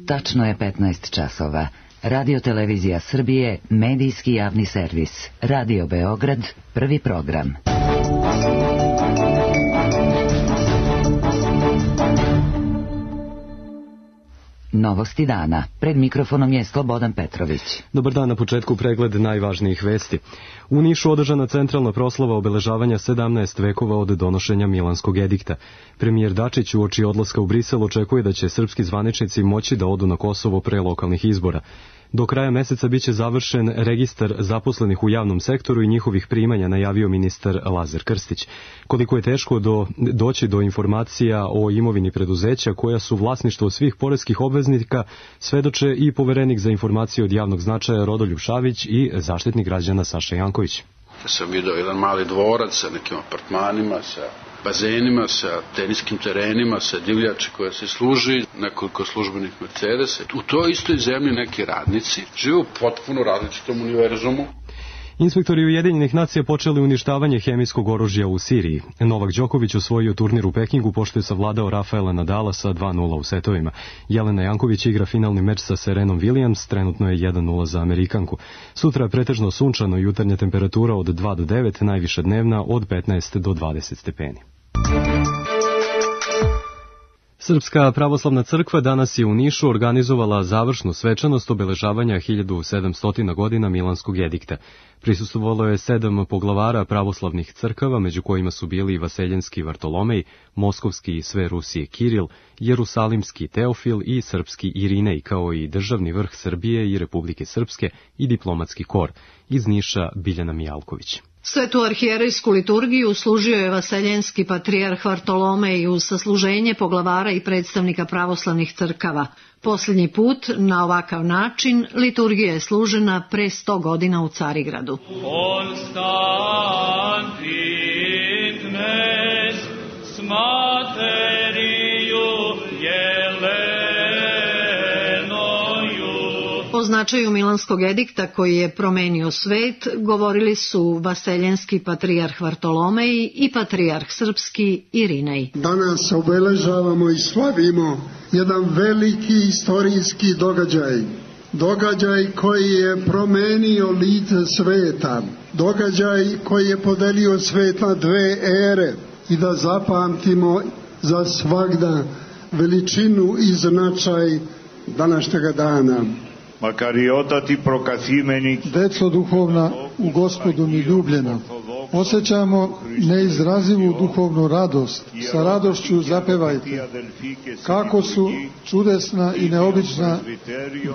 Tačno je 15 časova. Radio Televizija Srbije, medijski javni servis. Radio Beograd, prvi program. Novosti dana. Pred mikrofonom je Slobodan Petrović. Dobar dan, na početku pregled najvažnijih vesti. U Nišu održana centralna proslava obeležavanja 17 vekova od donošenja Milanskog edikta. Premijer Dačić uoči odlaska u Brisel očekuje da će srpski zvaničnici moći da odu na Kosovo pre lokalnih izbora. Do kraja meseca biće završen registar zaposlenih u javnom sektoru i njihovih primanja, najavio ministar Lazar Krstić. Koliko je teško doći do informacija o imovini preduzeća koja su vlasništvo svih poreskih obveznika, svedoče i poverenik za informacije od javnog značaja Rodoljub Šavić i zaštitnik građana Saša Janković. Ja sam vidio jedan mali dvorac sa nekim apartmanima, sa bazenima, sa teniskim terenima, sa divljači koja se služi, nekoliko službenih Mercedesa. U toj istoj zemlji neki radnici žive u potpuno različitom univerzumu. Inspektori Ujedinjenih nacija počeli uništavanje hemijskog oružja u Siriji. Novak Đoković osvojio turnir u Pekingu pošto je savladao Rafaela Nadala sa 2:0 u setovima. Jelena Janković igra finalni meč sa Serenom Williams, trenutno je 1:0 za Amerikanku. Sutra pretežno sunčano, jutarnja temperatura od 2 do 9, najviša dnevna od 15 do 20 stepeni. Srpska pravoslavna crkva danas je u Nišu organizovala završnu svečanost obeležavanja 1700 godina Milanskog edikta. Prisustvovalo je 7 poglavara pravoslavnih crkava, među kojima su bili i Vaseljenski Vartolomej, Moskovski i sve Rusije Kiril, Jerusalimski Teofil i Srpski Irinej, kao i državni vrh Srbije i Republike Srpske i diplomatski kor. Iz Niša Biljana Mijalković. Svetu arhijerejsku liturgiju služio je Vaseljenski patrijarh Vartolomej uz sasluženje poglavara i predstavnika pravoslavnih crkava. Posljednji put na ovakav način liturgija je služena pre 100 godina u Carigradu. O značaju Milanskog edikta koji je promenio svet govorili su Vaseljenski patrijarh Vartolomej i patrijarh Srpski Irinej. Danas obeležavamo i slavimo jedan veliki istorijski događaj koji je promenio lice sveta, događaj koji je podelio svet na dve ere i da zapamtimo za svagda veličinu i značaj današnjega dana. Makariotati prokazimeni, deco duhovna u Gospodu mi ljubljena, osjećamo neizrazivu duhovnu radost, sa radošću zapevajte. Kako su čudesna i neobična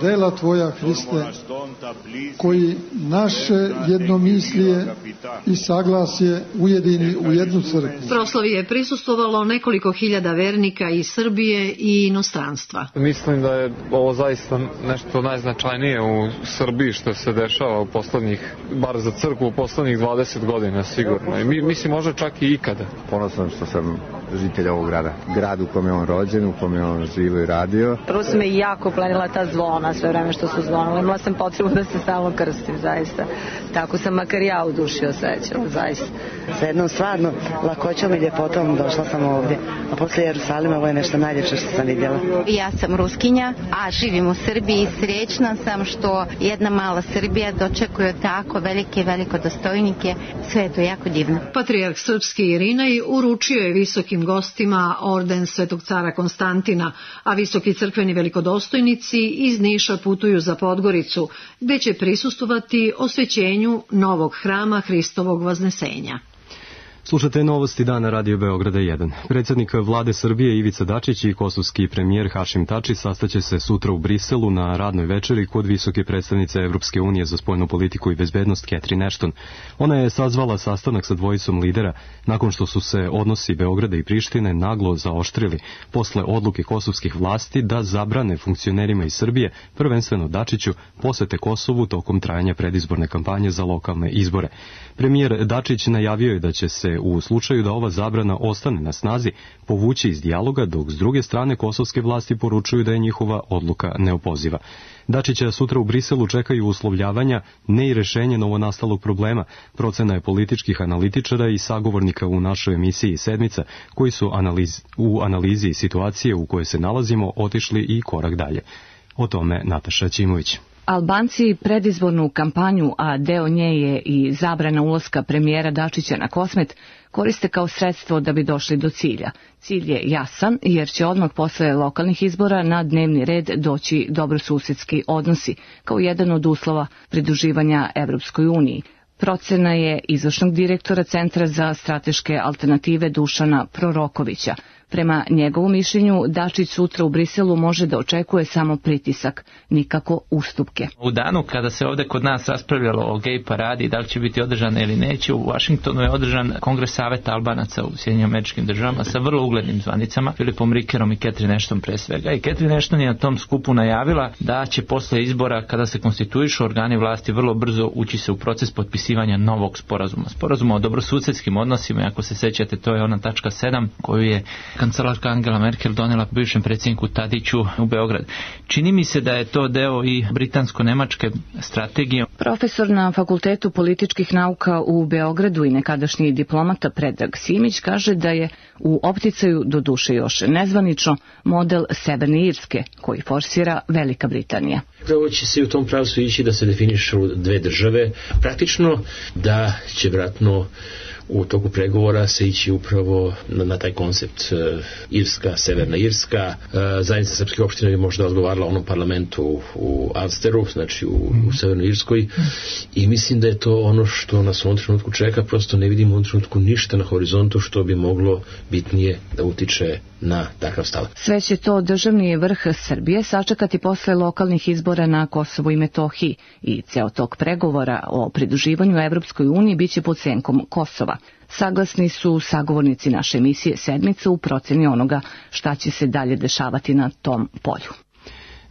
dela Tvoja, Hriste, koji naše jednomislije i saglasje ujedini u jednu crkvu. Proslavi je prisustvovalo nekoliko hiljada vernika iz Srbije i inostranstva. Mislim da je ovo zaista nešto najznačajnije u Srbiji što se dešava u poslednjih, bar za crkvu, u poslednjih 20 godina sigurno. I mislim možda čak i ikada. Ponosan što sam žitelj ovog grada. Grad u kome je on rođen, u kome je on živo i radio. Prvo su me jako plenila ta zvona, sve vreme što su zvonili. Imala sam potrebu da se stalno krstim, zaista. Tako sam makar ja u duši osjećala, zaista. Sa jednom stvarno lakoćom i ljepotom došla sam ovdje. A posle Jerusalima ovo je nešto najljepše što sam vidjela. Ja sam Ruskinja, a živim u Srbiji i srećna sam što jedna mala Srbija dočekuje tako veliko dostojnike. Sve je to jako divno. Patrijarh Srpski Irinej uručio je visokim gostima orden Svetog cara Konstantina, a visoki crkveni velikodostojnici iz Niša putuju za Podgoricu, gde će prisustvovati osvećenju novog hrama Hristovog Vaznesenja. Slušate novosti dana Radio Beograda 1. Predsjednik vlade Srbije Ivica Dačić i kosovski premijer Hašim Tači sastaće se sutra u Briselu na radnoj večeri kod visoke predstavnice Evropske unije za spoljnu politiku i bezbednost Catherine Ashton. Ona je sazvala sastanak sa dvojicom lidera nakon što su se odnosi Beograda i Prištine naglo zaoštrili posle odluke kosovskih vlasti da zabrane funkcionerima iz Srbije, prvenstveno Dačiću, posete Kosovu tokom trajanja predizborne kampanje za lokalne izbore. Premijer Dačić najavio je da će se u slučaju da ova zabrana ostane na snazi povući iz dijaloga, dok s druge strane kosovske vlasti poručuju da je njihova odluka neopoziva. Dačića sutra u Briselu čekaju uslovljavanja, ne i rešenje novonastalog problema. Procena je političkih analitičara i sagovornika u našoj emisiji Sedmica, koji su u analizi situacije u kojoj se nalazimo otišli i korak dalje. O tome Nataša Ćimović. Albanci predizbornu kampanju, a deo nje je i zabrana ulaska premijera Dačića na Kosmet, koriste kao sredstvo da bi došli do cilja. Cilj je jasan jer će odmah posle lokalnih izbora na dnevni red doći dobrosusedski odnosi, kao jedan od uslova pridruživanja Evropskoj uniji. Procena je izvršnog direktora Centra za strateške alternative Dušana Prorokovića. Prema njegovom mišljenju, Dačić sutra u Briselu može da očekuje samo pritisak, nikako ustupke. U danu kada se ovde kod nas raspravljalo o gej paradi, da li će biti održana ili neće, u Vašingtonu je održan Kongres saveta Albanaca u Sjedinjenim Američkim Državama sa vrlo uglednim zvanicama, Filipom Rikerom i Catherine Ashton pre svega. I Catherine Ashton je na tom skupu najavila da će posle izbora, kada se konstituišu organi vlasti, vrlo brzo ući se u proces potpisivanja novog sporazuma. Sporazuma o dobrosusedskim odnosima, ako se sećate, to je ona tačka 7 koju je kancelarka Angela Merkel donela bivšem predsjedniku Tadiću u Beograd. Čini mi se da je to deo i britansko-nemačke strategije. Profesor na Fakultetu političkih nauka u Beogradu i nekadašnji diplomata Predrag Simić kaže da je u opticaju, do duše još nezvanično, model Severne Irske, koji forsira Velika Britanija. Prvo će se u tom pravcu ići da se definišu dve države. Praktično da će vjerojatno u toku pregovora se ići upravo na taj koncept Irska, Severna Irska. Zajednica srpskih opština bi možda odgovarala onom parlamentu u Alsteru, znači u Severnoj Irskoj, i mislim da je to ono što nas u ovom trenutku čeka. Prosto ne vidimo u ovom trenutku ništa na horizontu što bi moglo bitnije da utiče na takav stav. Sve će to državni vrh Srbije sačekati posle lokalnih izbora na Kosovu i Metohiji i ceo tok pregovora o pridruživanju Evropskoj uniji biće pod senkom Kosova. Saglasni su sagovornici naše emisije Sedmica u proceni onoga šta će se dalje dešavati na tom polju.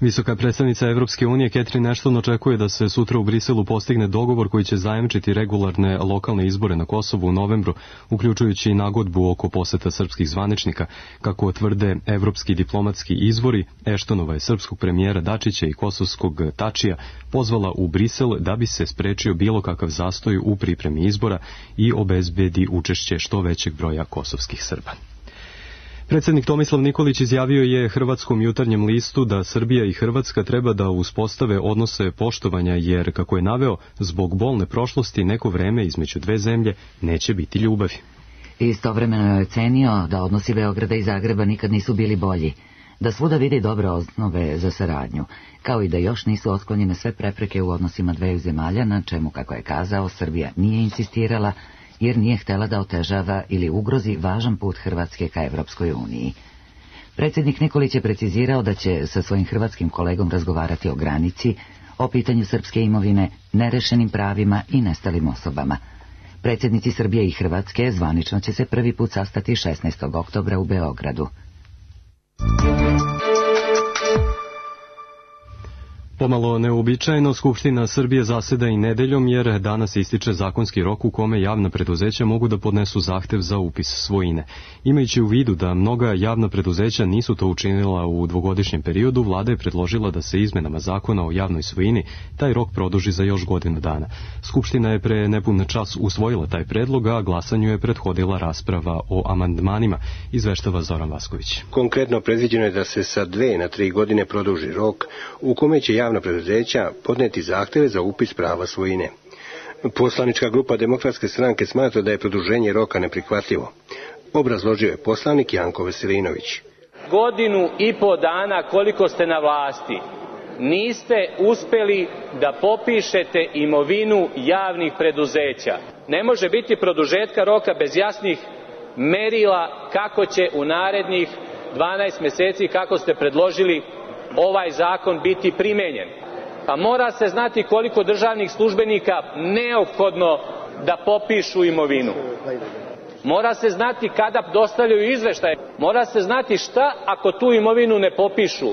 Visoka predstavnica Evropske unije Catherine Ashton očekuje da se sutra u Briselu postigne dogovor koji će zajamčiti regularne lokalne izbore na Kosovu u novembru, uključujući i nagodbu oko poseta srpskih zvaničnika. Kako tvrde evropski diplomatski izvori, Ashtonova je srpskog premijera Dačića i kosovskog Tačija pozvala u Brisel da bi se sprečio bilo kakav zastoj u pripremi izbora i obezbedi učešće što većeg broja kosovskih Srba. Predsjednik Tomislav Nikolić izjavio je Hrvatskom jutarnjem listu da Srbija i Hrvatska treba da uspostave odnose poštovanja jer, kako je naveo, zbog bolne prošlosti neko vreme između dve zemlje neće biti ljubavi. Istovremeno je ocenio da odnosi Beograda i Zagreba nikad nisu bili bolji, da svuda vidi dobre osnove za saradnju, kao i da još nisu otklonjene sve prepreke u odnosima dveju zemalja, na čemu, kako je kazao, Srbija nije insistirala, jer nije htela da otežava ili ugrozi važan put Hrvatske ka Evropskoj uniji. Predsjednik Nikolić je precizirao da će sa svojim hrvatskim kolegom razgovarati o granici, o pitanju srpske imovine, nerešenim pravima i nestalim osobama. Predsjednici Srbije i Hrvatske zvanično će se prvi put sastati 16. oktobra u Beogradu. Pomalo neuobičajeno, Skupština Srbije zaseda i nedeljom jer danas ističe zakonski rok u kome javna preduzeća mogu da podnesu zahtev za upis svojine. Imajući u vidu da mnoga javna preduzeća nisu to učinila u dvogodišnjem periodu, vlada je predložila da se izmenama zakona o javnoj svojini taj rok produži za još godinu dana. Skupština je pre nepun čas usvojila taj predlog, a glasanju je prethodila rasprava o amandmanima, izveštava Zoran Vasković. Konkretno predviđeno je da se sa 2 na 3 godine produži rok u kome će javna preduzeća podneti zahteve za upis prava svojine. Poslanička grupa Demokratske stranke smatra da je produženje roka neprihvatljivo. Obrazložio je poslanik Janko Veselinović. 1,5 godinu dana koliko ste na vlasti, niste uspeli da popišete imovinu javnih preduzeća. Ne može biti produžetka roka bez jasnih merila kako će u narednih 12 mjeseci, kako ste predložili, ovaj zakon biti primenjen. Pa mora se znati koliko državnih službenika neophodno da popišu imovinu. Mora se znati kada dostavljaju izveštaje. Mora se znati šta ako tu imovinu ne popišu.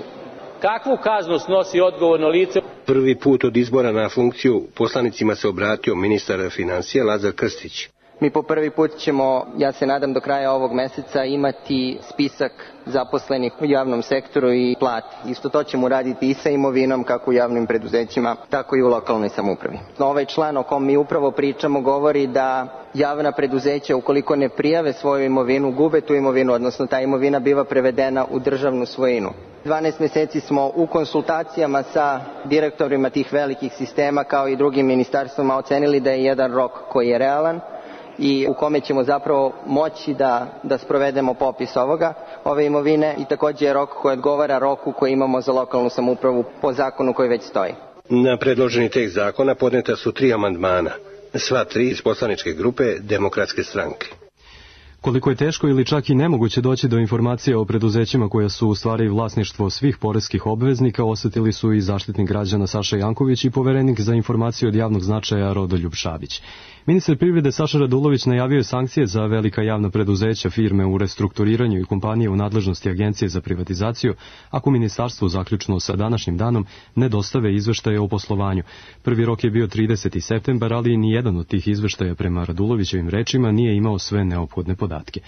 Kakvu kaznu snosi odgovorno lice? Prvi put od izbora na funkciju poslanicima se obratio ministar financija Lazar Krstić. Mi po prvi put ćemo, ja se nadam do kraja ovog meseca, imati spisak zaposlenih u javnom sektoru i plati. Isto to ćemo raditi i sa imovinom kako u javnim preduzećima, tako i u lokalnoj samoupravi. Ovaj član o kom mi upravo pričamo govori da javna preduzeća ukoliko ne prijave svoju imovinu, gube tu imovinu, odnosno ta imovina biva prevedena u državnu svojinu. 12 meseci smo u konsultacijama sa direktorima tih velikih sistema kao i drugim ministarstvima ocenili da je jedan rok koji je realan i u kome ćemo zapravo moći da sprovedemo popis ove imovine i također je rok koji odgovara roku koji imamo za lokalnu samoupravu po zakonu koji već stoji. Na predloženi tekst zakona podneta su 3 amandmana, sva 3 iz poslaničke grupe Demokratske stranke. Koliko je teško ili čak i nemoguće doći do informacija o preduzećima koja su u stvari vlasništvo svih poreskih obveznika, osetili su i Zaštitnik građana Saša Janković i poverenik za informaciju od javnog značaja Rodoljub Šabić. Ministar privrede Saša Radulović najavio je sankcije za velika javna preduzeća, firme u restrukturiranju i kompanije u nadležnosti Agencije za privatizaciju, ako ministarstvo zaključno sa današnjim danom ne dostave izveštaje o poslovanju. Prvi rok je bio 30. septembar, ali ni jedan od tih izveštaja prema Radulovićevim rečima nije imao sve neophodne podatke.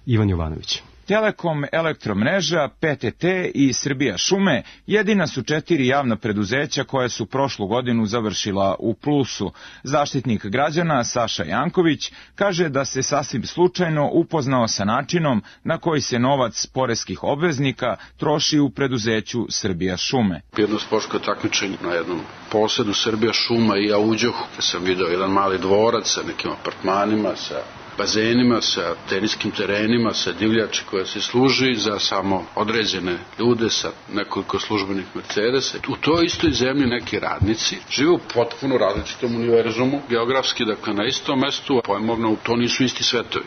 Ivan Jovanović. Telekom, Elektromreža, PTT i Srbija šume jedina su 4 javna preduzeća koja su prošlu godinu završila u plusu. Zaštitnik građana Saša Janković kaže da se sasvim slučajno upoznao sa načinom na koji se novac poreskih obveznika troši u preduzeću Srbija šume. Jedno sportsko takmičenje na jednom posedu Srbija šuma i ja uđoh, sam video jedan mali dvorac sa nekim apartmanima, sa bazenima, sa teniskim terenima, sa divljači koja se služi za samo određene ljude sa nekoliko službenih Mercedesa. U toj istoj zemlji neki radnici žive u potpuno različitom univerzumu, geografski, dakle na istom mestu, pojmovno to nisu isti svetovi.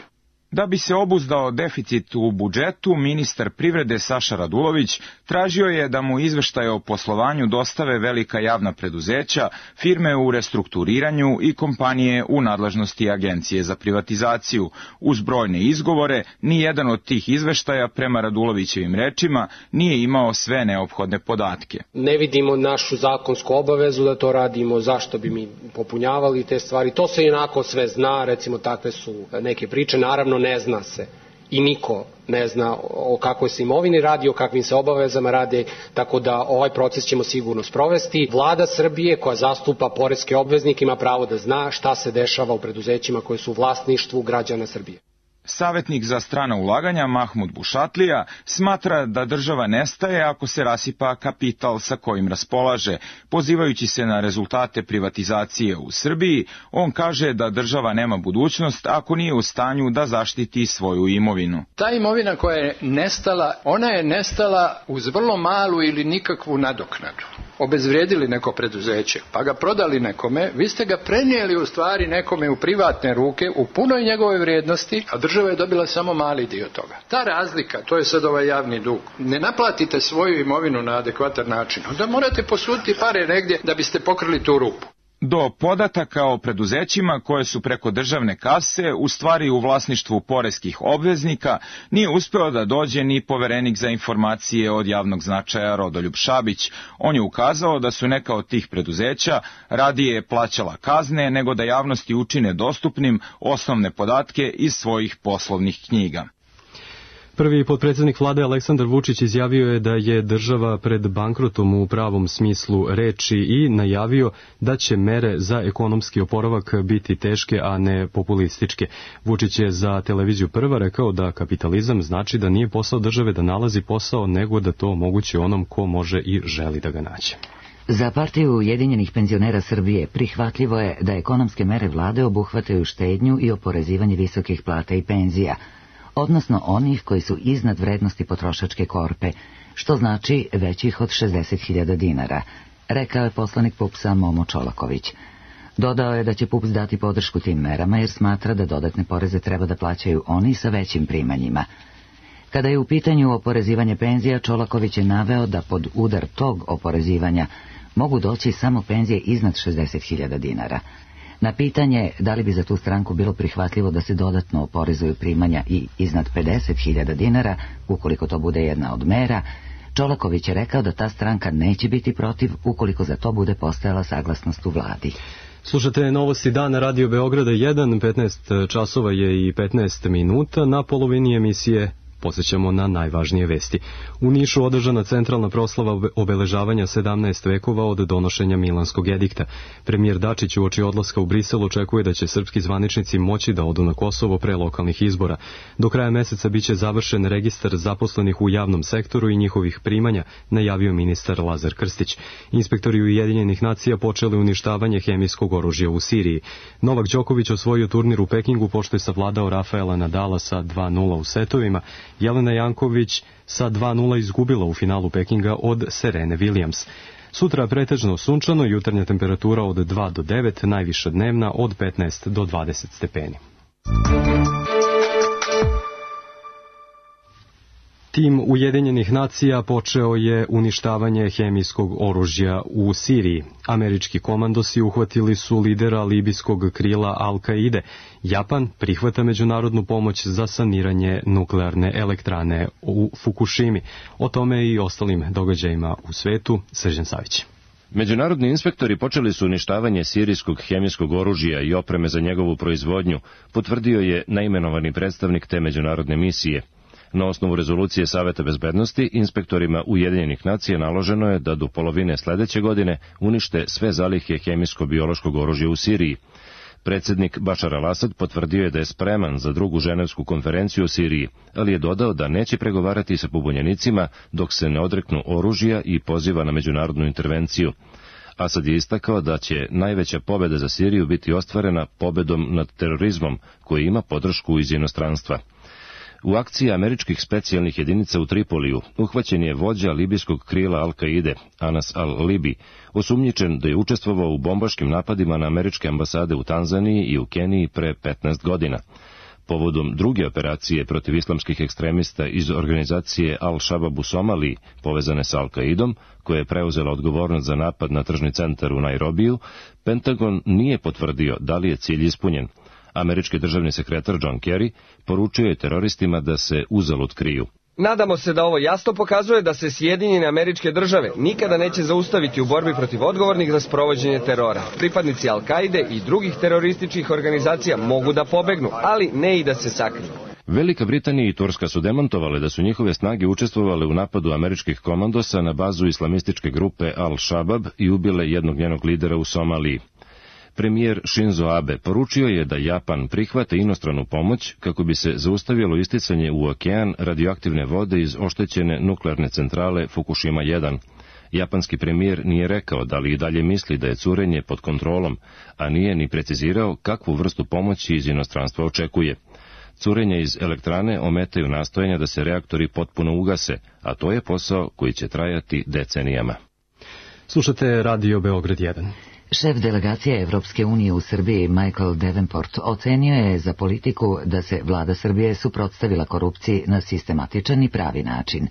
Da bi se obuzdao deficit u budžetu, ministar privrede Saša Radulović tražio je da mu izveštaje o poslovanju dostave velika javna preduzeća, firme u restrukturiranju i kompanije u nadležnosti Agencije za privatizaciju. Uz brojne izgovore, ni jedan od tih izveštaja, prema Radulovićevim rečima, nije imao sve neophodne podatke. Ne vidimo našu zakonsku obavezu da to radimo, zašto bi mi popunjavali te stvari. To se inako sve zna, recimo takve su neke priče, naravno ne zna se i niko ne zna o kakvoj se imovini radi, o kakvim se obavezama radi, tako da ovaj proces ćemo sigurno sprovesti. Vlada Srbije koja zastupa poreske obveznike ima pravo da zna šta se dešava u preduzećima koje su u vlasništvu građana Srbije. Savetnik za strana ulaganja Mahmud Bušatlija smatra da država nestaje ako se rasipa kapital sa kojim raspolaže. Pozivajući se na rezultate privatizacije u Srbiji, on kaže da država nema budućnost ako nije u stanju da zaštiti svoju imovinu. Ta imovina koja je nestala, ona je nestala uz vrlo malu ili nikakvu nadoknadu. Obezvrijedili neko preduzeće, pa ga prodali nekome, vi ste ga prenijeli u stvari nekome u privatne ruke, u punoj njegove vrijednosti, a država je dobila samo mali dio toga. Ta razlika, to je sad ovaj javni dug. Ne naplatite svoju imovinu na adekvatan način, onda morate posuditi pare negdje da biste pokrili tu rupu. Do podataka o preduzećima koje su preko državne kase u stvari u vlasništvu poreskih obveznika nije uspeo da dođe ni poverenik za informacije od javnog značaja Rodoljub Šabić. On je ukazao da su neka od tih preduzeća radije plaćala kazne nego da javnosti učine dostupnim osnovne podatke iz svojih poslovnih knjiga. Prvi potpredsjednik vlade Aleksandar Vučić izjavio je da je država pred bankrotom u pravom smislu reči i najavio da će mere za ekonomski oporavak biti teške, a ne populističke. Vučić je za televiziju Prva rekao da kapitalizam znači da nije posao države da nalazi posao, nego da to omogući onom ko može i želi da ga nađe. Za Partiju Ujedinjenih penzionera Srbije prihvatljivo je da ekonomske mere vlade obuhvataju štednju i oporezivanje visokih plata i penzija, odnosno onih koji su iznad vrednosti potrošačke korpe, što znači većih od 60.000 dinara, rekao je poslanik PUPS-a Momo Čolaković. Dodao je da će PUPS dati podršku tim merama jer smatra da dodatne poreze treba da plaćaju oni sa većim primanjima. Kada je u pitanju oporezivanje penzija, Čolaković je naveo da pod udar tog oporezivanja mogu doći samo penzije iznad 60.000 dinara. Na pitanje da li bi za tu stranku bilo prihvatljivo da se dodatno oporezuju primanja i iznad 50.000 dinara, ukoliko to bude jedna od mera, Čolaković je rekao da ta stranka neće biti protiv ukoliko za to bude postojala saglasnost u vladi. Slušate novosti dana Radio Beograda 1, 15 časova je i 15 minuta. Na polovini emisije podsjećamo na najvažnije vesti. U Nišu održana centralna proslava obeležavanja 17 vekova od donošenja Milanskog edikta. Premijer Dačić uoči odlaska u Brisel očekuje da će srpski zvaničnici moći da odu na Kosovo pre lokalnih izbora. Do kraja meseca biće završen registar zaposlenih u javnom sektoru i njihovih primanja, najavio ministar Lazar Krstić. Inspektori Ujedinjenih nacija počeli uništavanje hemijskog oružja u Siriji. Novak Đoković osvojio turnir u Pekingu pošto je savladao Rafaela Nadala sa 2:0 u setovima. Jelena Janković sa 2:0 izgubila u finalu Pekinga od Serene Williams. Sutra pretežno sunčano, jutarnja temperatura od 2 do 9, najviša dnevna od 15 do 20 stepeni. Tim Ujedinjenih nacija počeo je uništavanje hemijskog oružja u Siriji. Američki komandosi uhvatili su lidera libijskog krila Al-Kaide. Japan prihvata međunarodnu pomoć za saniranje nuklearne elektrane u Fukushimi. O tome i ostalim događajima u svetu, Srđan Savić. Međunarodni inspektori počeli su uništavanje sirijskog hemijskog oružja i opreme za njegovu proizvodnju, potvrdio je naimenovani predstavnik te međunarodne misije. Na osnovu rezolucije Saveta bezbednosti, inspektorima Ujedinjenih nacija naloženo je da do polovine sledeće godine unište sve zalihe hemijsko-biološkog oružja u Siriji. Predsjednik Bašar al-Asad potvrdio je da je spreman za drugu ženevsku konferenciju u Siriji, ali je dodao da neće pregovarati sa pobunjenicima dok se ne odreknu oružja i poziva na međunarodnu intervenciju. Asad je istakao da će najveća pobjeda za Siriju biti ostvarena pobedom nad terorizmom, koji ima podršku iz inostranstva. U akciji američkih specijalnih jedinica u Tripoliju uhvaćen je vođa libijskog krila Al-Kaide, Anas al-Libi, osumnjičen da je učestvovao u bombaškim napadima na američke ambasade u Tanzaniji i u Keniji pre 15 godina. Povodom druge operacije protiv islamskih ekstremista iz organizacije Al-Shabaab u Somaliji, povezane sa Al-Kaidom, koja je preuzela odgovornost za napad na tržni centar u Nairobiju, Pentagon nije potvrdio da li je cilj ispunjen. Američki državni sekretar John Kerry poručio je teroristima da se uzalud kriju. Nadamo se da ovo jasno pokazuje da se Sjedinjene Američke Države nikada neće zaustaviti u borbi protiv odgovornih za sprovođenje terora. Pripadnici Al-Kaide i drugih terorističkih organizacija mogu da pobegnu, ali ne i da se sakriju. Velika Britanija i Turska su demantovale da su njihove snage učestvovale u napadu američkih komandosa na bazu islamističke grupe Al-Shabaab i ubile jednog njenog lidera u Somaliji. Premijer Shinzo Abe poručio je da Japan prihvate inostranu pomoć kako bi se zaustavilo isticanje u okean radioaktivne vode iz oštećene nuklearne centrale Fukushima 1. Japanski premijer nije rekao da li i dalje misli da je curenje pod kontrolom, a nije ni precizirao kakvu vrstu pomoći iz inostranstva očekuje. Curenje iz elektrane ometaju nastojanja da se reaktori potpuno ugase, a to je posao koji će trajati decenijama. Slušate Radio Beograd 1. Šef delegacije Evropske unije u Srbiji Michael Davenport ocenio je za politiku da se vlada Srbije suprotstavila korupciji na sistematičan i pravi način.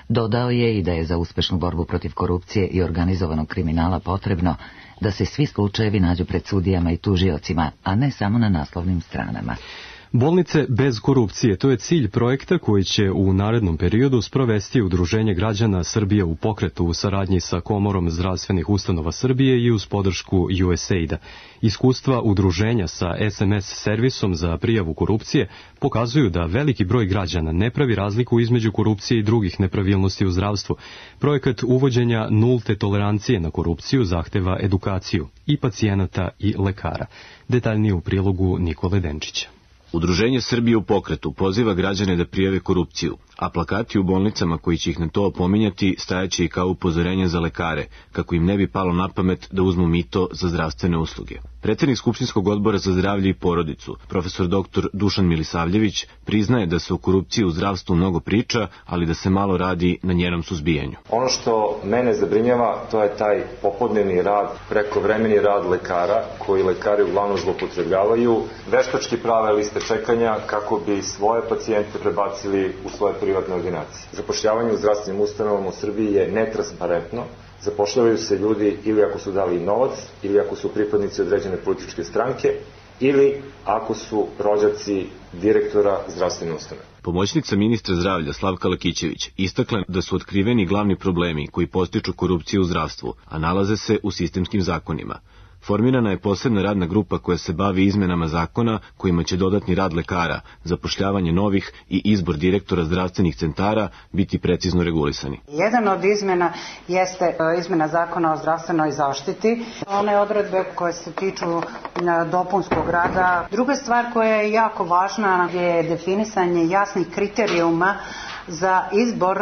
Dodao je i da je za uspešnu borbu protiv korupcije i organizovanog kriminala potrebno da se svi slučajevi nađu pred sudijama i tužiocima, a ne samo na naslovnim stranama. Bolnice bez korupcije, to je cilj projekta koji će u narednom periodu sprovesti Udruženje građana Srbije u pokretu u saradnji sa Komorom zdravstvenih ustanova Srbije i uz podršku USAID-a. Iskustva udruženja sa SMS servisom za prijavu korupcije pokazuju da veliki broj građana ne pravi razliku između korupcije i drugih nepravilnosti u zdravstvu. Projekat uvođenja nulte tolerancije na korupciju zahteva edukaciju i pacijenata i lekara. Detaljnije u prilogu Nikole Denčića. Udruženje Srbije u pokretu poziva građane da prijave korupciju, a plakati u bolnicama koji će ih na to opominjati stajaće i kao upozorenja za lekare, kako im ne bi palo na pamet da uzmu mito za zdravstvene usluge. Predsjednik Skupštinskog odbora za zdravlje i porodicu, profesor dr. Dušan Milisavljević, priznaje da se o korupciji u zdravstvu mnogo priča, ali da se malo radi na njenom suzbijanju. Ono što mene zabrinjava, to je taj popodnevni rad, prekovremeni rad lekara, koji lekari uglavnom zloupotrebljavaju, veštački prave liste čekanja kako bi svoje pacijente prebacili u svoje privatne ordinacije. Zapošljavanje u zdravstvenim ustanovama u Srbiji je netransparentno. Zapošljavaju se ljudi ili ako su dali novac, ili ako su pripadnici određene političke stranke, ili ako su rođaci direktora zdravstvene ustanove. Pomoćnica ministra zdravlja Slavka Lakićević istakla da su otkriveni glavni problemi koji podstiču korupciju u zdravstvu, a nalaze se u sistemskim zakonima. Formirana je posebna radna grupa koja se bavi izmenama zakona kojima će dodatni rad lekara, zapošljavanje novih i izbor direktora zdravstvenih centara biti precizno regulisani. Jedan od izmjena jeste izmjena zakona o zdravstvenoj zaštiti, one odredbe koje se tiču dopunskog rada. Druga stvar koja je jako važna je definisanje jasnih kriterijuma za izbor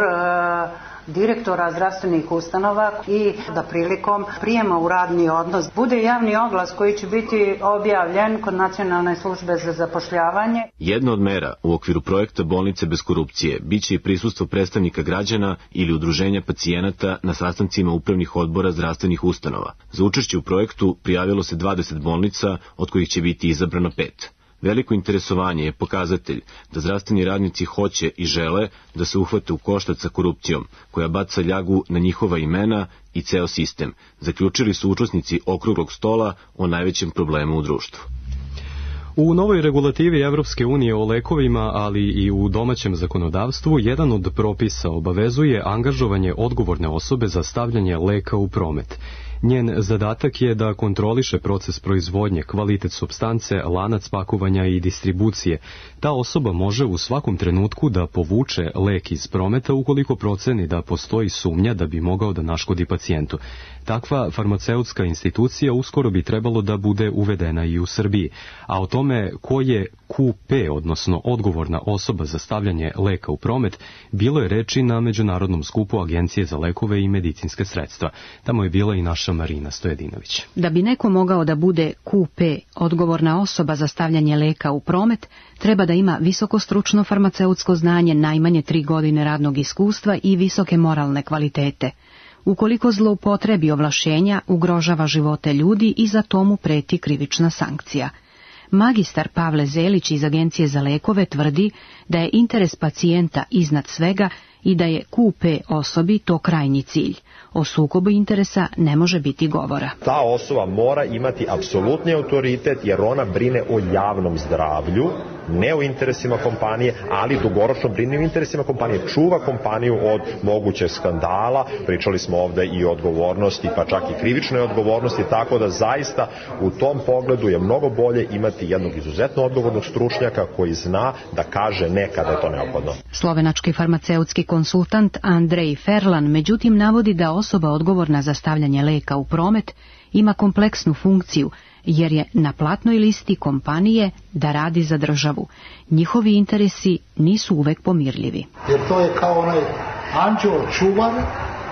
direktora zdravstvenih ustanova i da prilikom prijema u radni odnos bude javni oglas koji će biti objavljen kod Nacionalne službe za zapošljavanje. Jedna od mera u okviru projekta Bolnice bez korupcije biće i prisustvo predstavnika građana ili udruženja pacijenata na sastancima upravnih odbora zdravstvenih ustanova. Za učešće u projektu prijavilo se 20 bolnica, od kojih će biti izabrano 5. Veliko interesovanje je pokazatelj da zdravstveni radnici hoće i žele da se uhvate u koštac sa korupcijom, koja baca ljagu na njihova imena i ceo sistem, zaključili su učesnici okruglog stola o najvećem problemu u društvu. U novoj regulativi Evropske unije o lekovima, ali i u domaćem zakonodavstvu, jedan od propisa obavezuje angažovanje odgovorne osobe za stavljanje leka u promet. Njen zadatak je da kontroliše proces proizvodnje, kvalitet supstance, lanac pakovanja i distribucije. Ta osoba može u svakom trenutku da povuče lek iz prometa ukoliko proceni da postoji sumnja da bi mogao da naškodi pacijentu. Takva farmaceutska institucija uskoro bi trebalo da bude uvedena i u Srbiji, a o tome ko je QP, odnosno odgovorna osoba za stavljanje leka u promet, bilo je reči na Međunarodnom skupu Agencije za lekove i medicinske sredstva. Tamo je bila i naša Marina Stojedinović. Da bi neko mogao da bude QP, odgovorna osoba za stavljanje leka u promet, treba da ima visokostručno farmaceutsko znanje, najmanje 3 godine radnog iskustva i visoke moralne kvalitete. Ukoliko zloupotrebi ovlašćenja, ugrožava živote ljudi i za to mu preti krivična sankcija. Magistar Pavle Zelić iz Agencije za lekove tvrdi da je interes pacijenta iznad svega i da je QP osobi to krajnji cilj. O sukobu interesa ne može biti govora. Ta osoba mora imati apsolutni autoritet jer ona brine o javnom zdravlju, ne o interesima kompanije, ali dugoročno brine o interesima kompanije, čuva kompaniju od mogućeg skandala. Pričali smo ovde i o odgovornosti, pa čak i krivičnoj odgovornosti, tako da zaista u tom pogledu je mnogo bolje imati jednog izuzetno odgovornog stručnjaka koji zna da kaže ne kada je to neophodno. Slovenački farmaceutski konsultant Andrej Ferlan međutim navodi da osoba odgovorna za stavljanje leka u promet ima kompleksnu funkciju, jer je na platnoj listi kompanije da radi za državu. Njihovi interesi nisu uvek pomirljivi. Jer to je kao onaj anđeo čuvar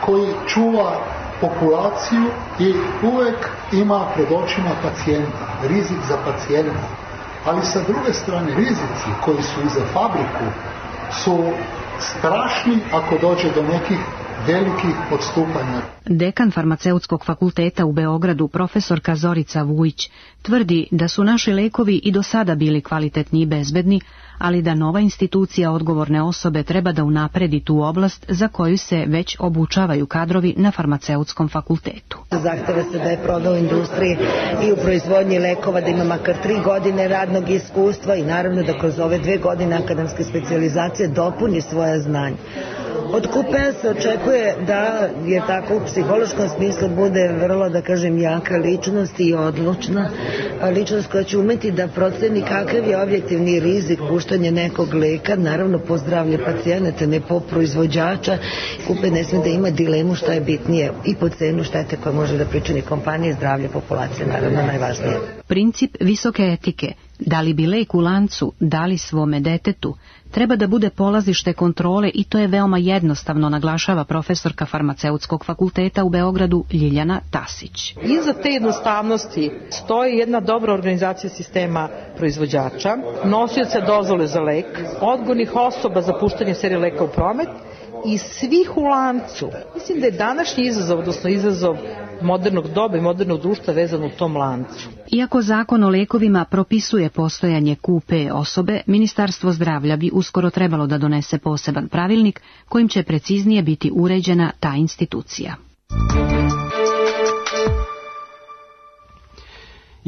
koji čuva populaciju i uvek ima pred očima pacijenta, rizik za pacijenta. Ali sa druge strane rizici koji su i za fabriku su strašni ako dođe do nekih velikih odstupanja. Dekan farmaceutskog fakulteta u Beogradu, profesorka Zorica Vujić, tvrdi da su naši lekovi i do sada bili kvalitetni i bezbedni, ali da nova institucija odgovorne osobe treba da unapredi tu oblast za koju se već obučavaju kadrovi na farmaceutskom fakultetu. Zahteva se da je proveo u industriji i u proizvodnji lekova, da ima makar 3 godine radnog iskustva i naravno da kroz ove 2 godine akademske specijalizacije dopuni svoje znanje. Od QP-a se očekuje da je tako u psihološkom smislu bude vrlo, da kažem, jaka ličnost i odlučna ličnost koja će umeti da proceni kakav je objektivni rizik puštanja nekog leka, naravno po zdravlje pacijenata, ne po proizvođača. QP ne sme da ima dilemu šta je bitnije i po cenu štete koja može da pričini kompanije, zdravlje populacije, naravno najvažnije. Princip visoke etike, da li bi lek u lancu dali svome detetu, treba da bude polazište kontrole i to je veoma jednostavno, naglašava profesorka farmaceutskog fakulteta u Beogradu Ljiljana Tasić. Iza te jednostavnosti stoji jedna dobra organizacija sistema proizvođača, nosioca dozvole za lek, odgovornih osoba za puštanje serije leka u promet i svih u lancu. Mislim da je današnji izazov, odnosno izazov modernog doba i modernog društva vezan u tom lancu. Iako zakon o lekovima propisuje postojanje QP osobe, Ministarstvo zdravlja bi uskoro trebalo da donese poseban pravilnik kojim će preciznije biti uređena ta institucija.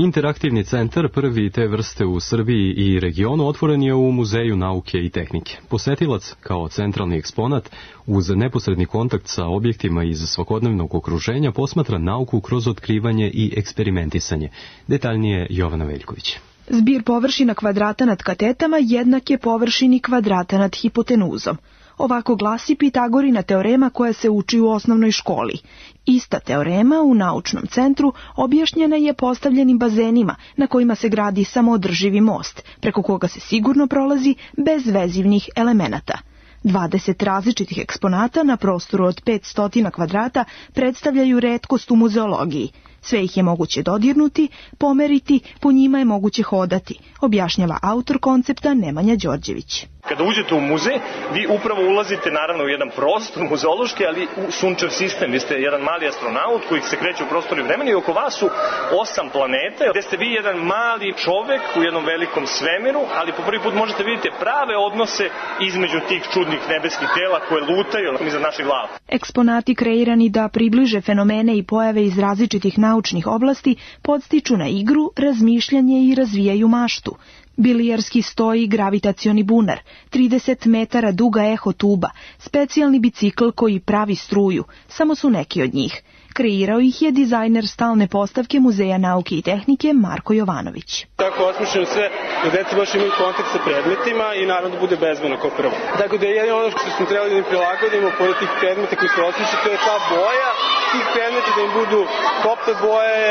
Interaktivni centar, prvi te vrste u Srbiji i regionu, otvoren je u Muzeju nauke i tehnike. Posetilac, kao centralni eksponat, uz neposredni kontakt sa objektima iz svakodnevnog okruženja, posmatra nauku kroz otkrivanje i eksperimentisanje. Detaljnije Jovana Veljković. Zbir površina kvadrata nad katetama jednak je površini kvadrata nad hipotenuzom. Ovako glasi Pitagorina teorema koja se uči u osnovnoj školi. Ista teorema u naučnom centru objašnjena je postavljenim bazenima na kojima se gradi samoodrživi most, preko koga se sigurno prolazi bez vezivnih elemenata. 20 različitih eksponata na prostoru od 500 kvadrata predstavljaju retkost u muzeologiji. Sve ih je moguće dodirnuti, pomeriti, po njima je moguće hodati, objašnjava autor koncepta Nemanja Đorđević. Kada uđete u muzej, vi upravo ulazite naravno u jedan prostor muzeološki, ali u sunčev sistem. Vi ste jedan mali astronaut koji se kreće u prostoru i vremenu i oko vas su 8 planeta, gde ste vi jedan mali čovek u jednom velikom svemiru, ali po prvi put možete vidjeti prave odnose između tih čudnih nebeskih tela koje lutaju iznad naših glava. Eksponati kreirani da približe fenomene i pojave iz različitih naučnih oblasti podstiču na igru, razmišljanje i razvijaju maštu. Bilijarski sto i gravitacioni bunar, 30 metara duga eho tuba, specijalni bicikl koji pravi struju, samo su neki od njih. Kreirao ih je dizajner stalne postavke Muzeja nauke i tehnike Marko Jovanović. Tako osmišljeno sve da deca baš imaju kontakt sa predmetima i naravno da bude bezbedno kao prvo. Tako da je jedino ono što smo trebali da im prilagodimo pored tih predmeta koji se osmišljaju, to je ta boja tih predmeta, da im budu kopte boje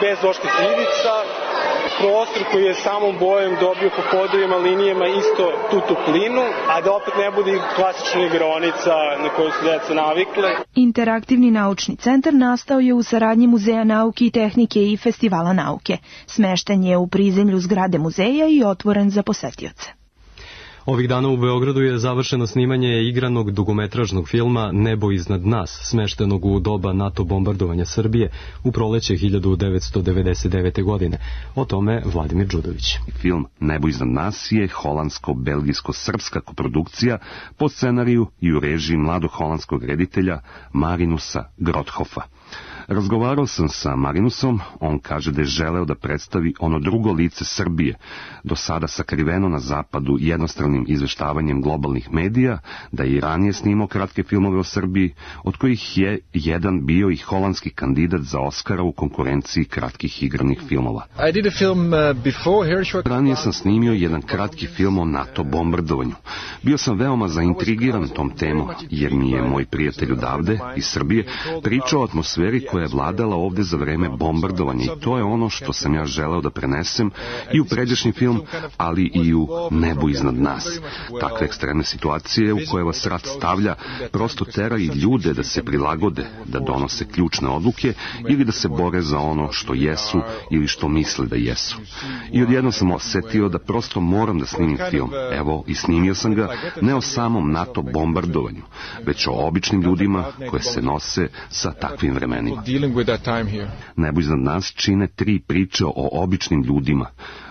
bez doških ivica, prostor koji je samom bojem dobio po podovima, linijama isto tu toplinu, a da opet ne bude klasična igraonica na koju su deca navikle. Interaktivni naučni centar nastao je u saradnji Muzeja nauke i tehnike i Festivala nauke. Smešten je u prizemlju zgrade muzeja i otvoren za posetioce. Ovih dana u Beogradu je završeno snimanje igranog dugometražnog filma Nebo iznad nas, smeštenog u doba NATO bombardovanja Srbije u proleće 1999. godine. O tome Vladimir Đudović. Film Nebo iznad nas je holandsko-belgijsko-srpska koprodukcija po scenariju i u režiji mladog holandskog reditelja Marinusa Grothofa. Razgovarao sam sa Marinusom, on kaže da je želeo da predstavi ono drugo lice Srbije, do sada sakriveno na zapadu jednostranim izveštavanjem globalnih medija, da je i ranije snimao kratke filmove o Srbiji, od kojih je jedan bio i holandski kandidat za Oscara u konkurenciji kratkih igranih filmova. Ranije sam snimio jedan kratki film o NATO bombardovanju. Bio sam veoma zaintrigiran tom temom, jer mi je moj prijatelj odavde, iz Srbije, pričao o atmosferi koja je vladala ovde za vreme bombardovanja i to je ono što sam ja želeo da prenesem i u pređašnji film, ali i u Nebu iznad nas. Takve ekstremne situacije u koje vas rat stavlja prosto tera i ljude da se prilagode, da donose ključne odluke ili da se bore za ono što jesu ili što misle da jesu. I odjedno sam osetio da prosto moram da snimim film. Evo, i snimio sam ga ne o samom NATO bombardovanju, već o običnim ljudima koje se nose sa takvim vremenima. Nebo iznad nas čine 3 priče o običnim ljudima.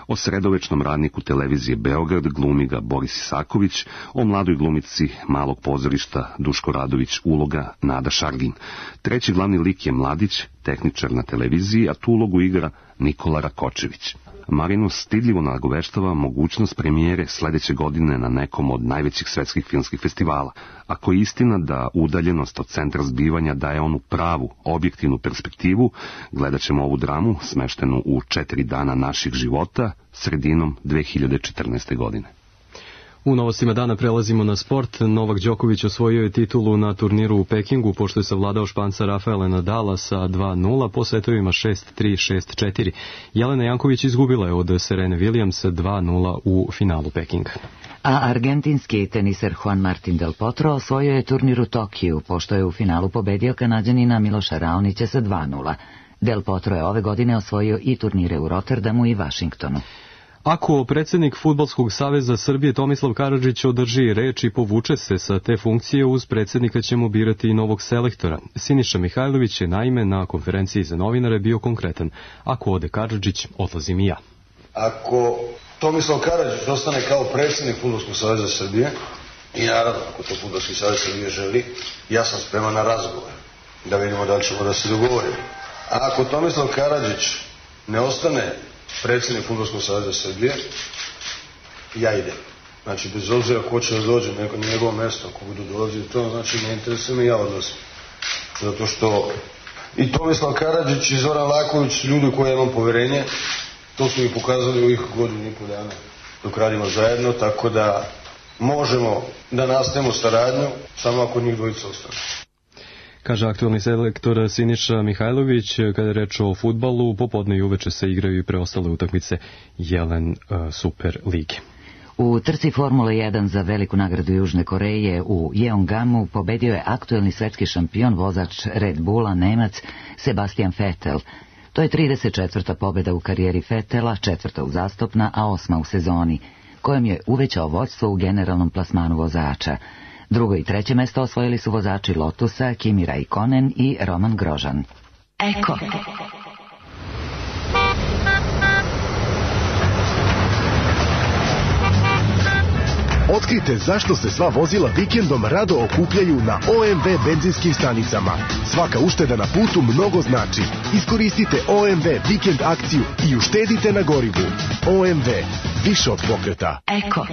O sredovečnom radniku televizije Beograd, glumi ga Boris Isaković, o mladoj glumici malog pozorišta Duško Radović, uloga Nada Šargin. Treći glavni lik je mladić, tehničar na televiziji, a tu ulogu igra Nikola Rakočević. Marinus stidljivo nagoveštava mogućnost premijere sledeće godine na nekom od najvećih svetskih filmskih festivala. Ako je istina da udaljenost od centra zbivanja daje onu pravu, objektivnu perspektivu, gledat ćemo ovu dramu smeštenu u 4 dana naših života sredinom 2014. godine. U novostima dana prelazimo na sport. Novak Đoković osvojio je titulu na turniru u Pekingu, pošto je savladao Španca Rafaela Nadala sa 2-0 po setovima 6-3, 6-4. Jelena Janković izgubila je od Serene Williams 2-0 u finalu Pekinga. A argentinski teniser Juan Martín del Potro osvojio je turnir u Tokiju, pošto je u finalu pobedio Kanađanina Miloša Raonića sa 2-0. Del Potro je ove godine osvojio i turnire u Rotterdamu i Vašingtonu. Ako predsjednik Fudbalskog saveza Srbije Tomislav Karadžić održi reč i povuče se sa te funkcije, uz predsjednika ćemo birati i novog selektora. Siniša Mihajlović je naime na konferenciji za novinare bio konkretan. Ako ode Karadžić, odlazim i ja. Ako Tomislav Karadžić ostane kao predsjednik Fudbalskog saveza Srbije, i naravno ako to Fudbalski savez Srbije želi, ja sam spreman na razgovor, da vidimo da li ćemo da se dogovorimo. A ako Tomislav Karadžić ne ostane predsjednik Fudbalskog saveza Srbije, ja idem. Znači, bez obzira ko će da dođe na njegovo mesto, ako budu dolazili to, znači ne interesuje me, ja odlazim. Zato što i Tomislav Karadžić i Zoran Laković, ljudi koje imam poverenje, to su mi pokazali u ovih godinu i pol dana dok radimo zajedno, tako da možemo da nastavimo saradnju samo ako njih dvojica ostane. Kaže aktualni selektor Siniša Mihajlović, kada je reč o fudbalu, popodne i uveče se igraju i preostale utakmice Jelen Super Lige. U trci Formule 1 za veliku nagradu Južne Koreje u Jeongamu pobedio je aktuelni svetski šampion vozač Red Bulla Nemac Sebastian Vettel. To je 34. pobjeda u karijeri Vettela, 4. uzastopna, a 8. u sezoni, kojom je uvećao vođstvo u generalnom plasmanu vozača. Drugo i treće mesto osvojili su vozači Lotusa Kimi Raikkonen i Roman Grosjean. Eko. Otkrite zašto se sva vozila vikendom rado okupljaju na OMV benzinskim stanicama. Svaka ušteda na putu mnogo znači. Iskoristite OMV vikend akciju i uštedite na gorivu. OMV, više od pokreta. Eko.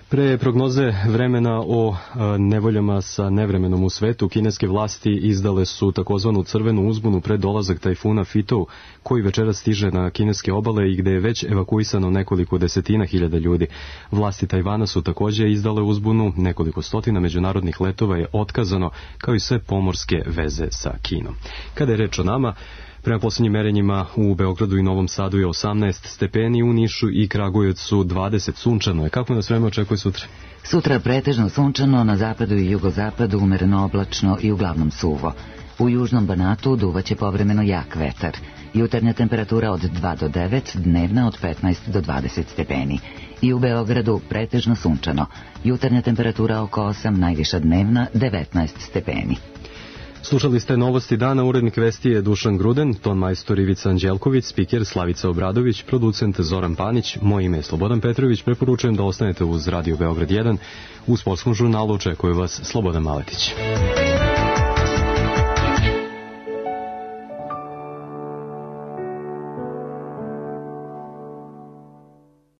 Pre prognoze vremena o nevoljama sa nevremenom u svetu, kineske vlasti izdale su takozvanu crvenu uzbunu pred dolazak tajfuna Fitou, koji večeras stiže na kineske obale i gde je već evakuisano nekoliko desetina hiljada ljudi. Vlasti Tajvana su takođe izdale uzbunu, nekoliko stotina međunarodnih letova je otkazano, kao i sve pomorske veze sa Kinom. Kada je reč o nama, prema posljednjim merenjima u Beogradu i Novom Sadu je 18 stepeni, u Nišu i Kragujevcu 20, sunčano je. Kako nas vreme očekuje sutra? Sutra pretežno sunčano, na zapadu i jugozapadu umereno oblačno i uglavnom suvo. U južnom Banatu duvaće povremeno jak vetar. Jutarnja temperatura od 2 do 9, dnevna od 15 do 20 stepeni. I u Beogradu pretežno sunčano. Jutarnja temperatura oko 8, najviša dnevna 19 stepeni. Slušali ste novosti dana, urednik vesti je Dušan Gruden, ton majstor Ivica Anđelković, spiker Slavica Obradović, producent Zoran Panić, moje ime je Slobodan Petrović, preporučujem da ostanete uz Radio Beograd 1, u sportskom žurnalu očekuje vas Slobodan Maletić.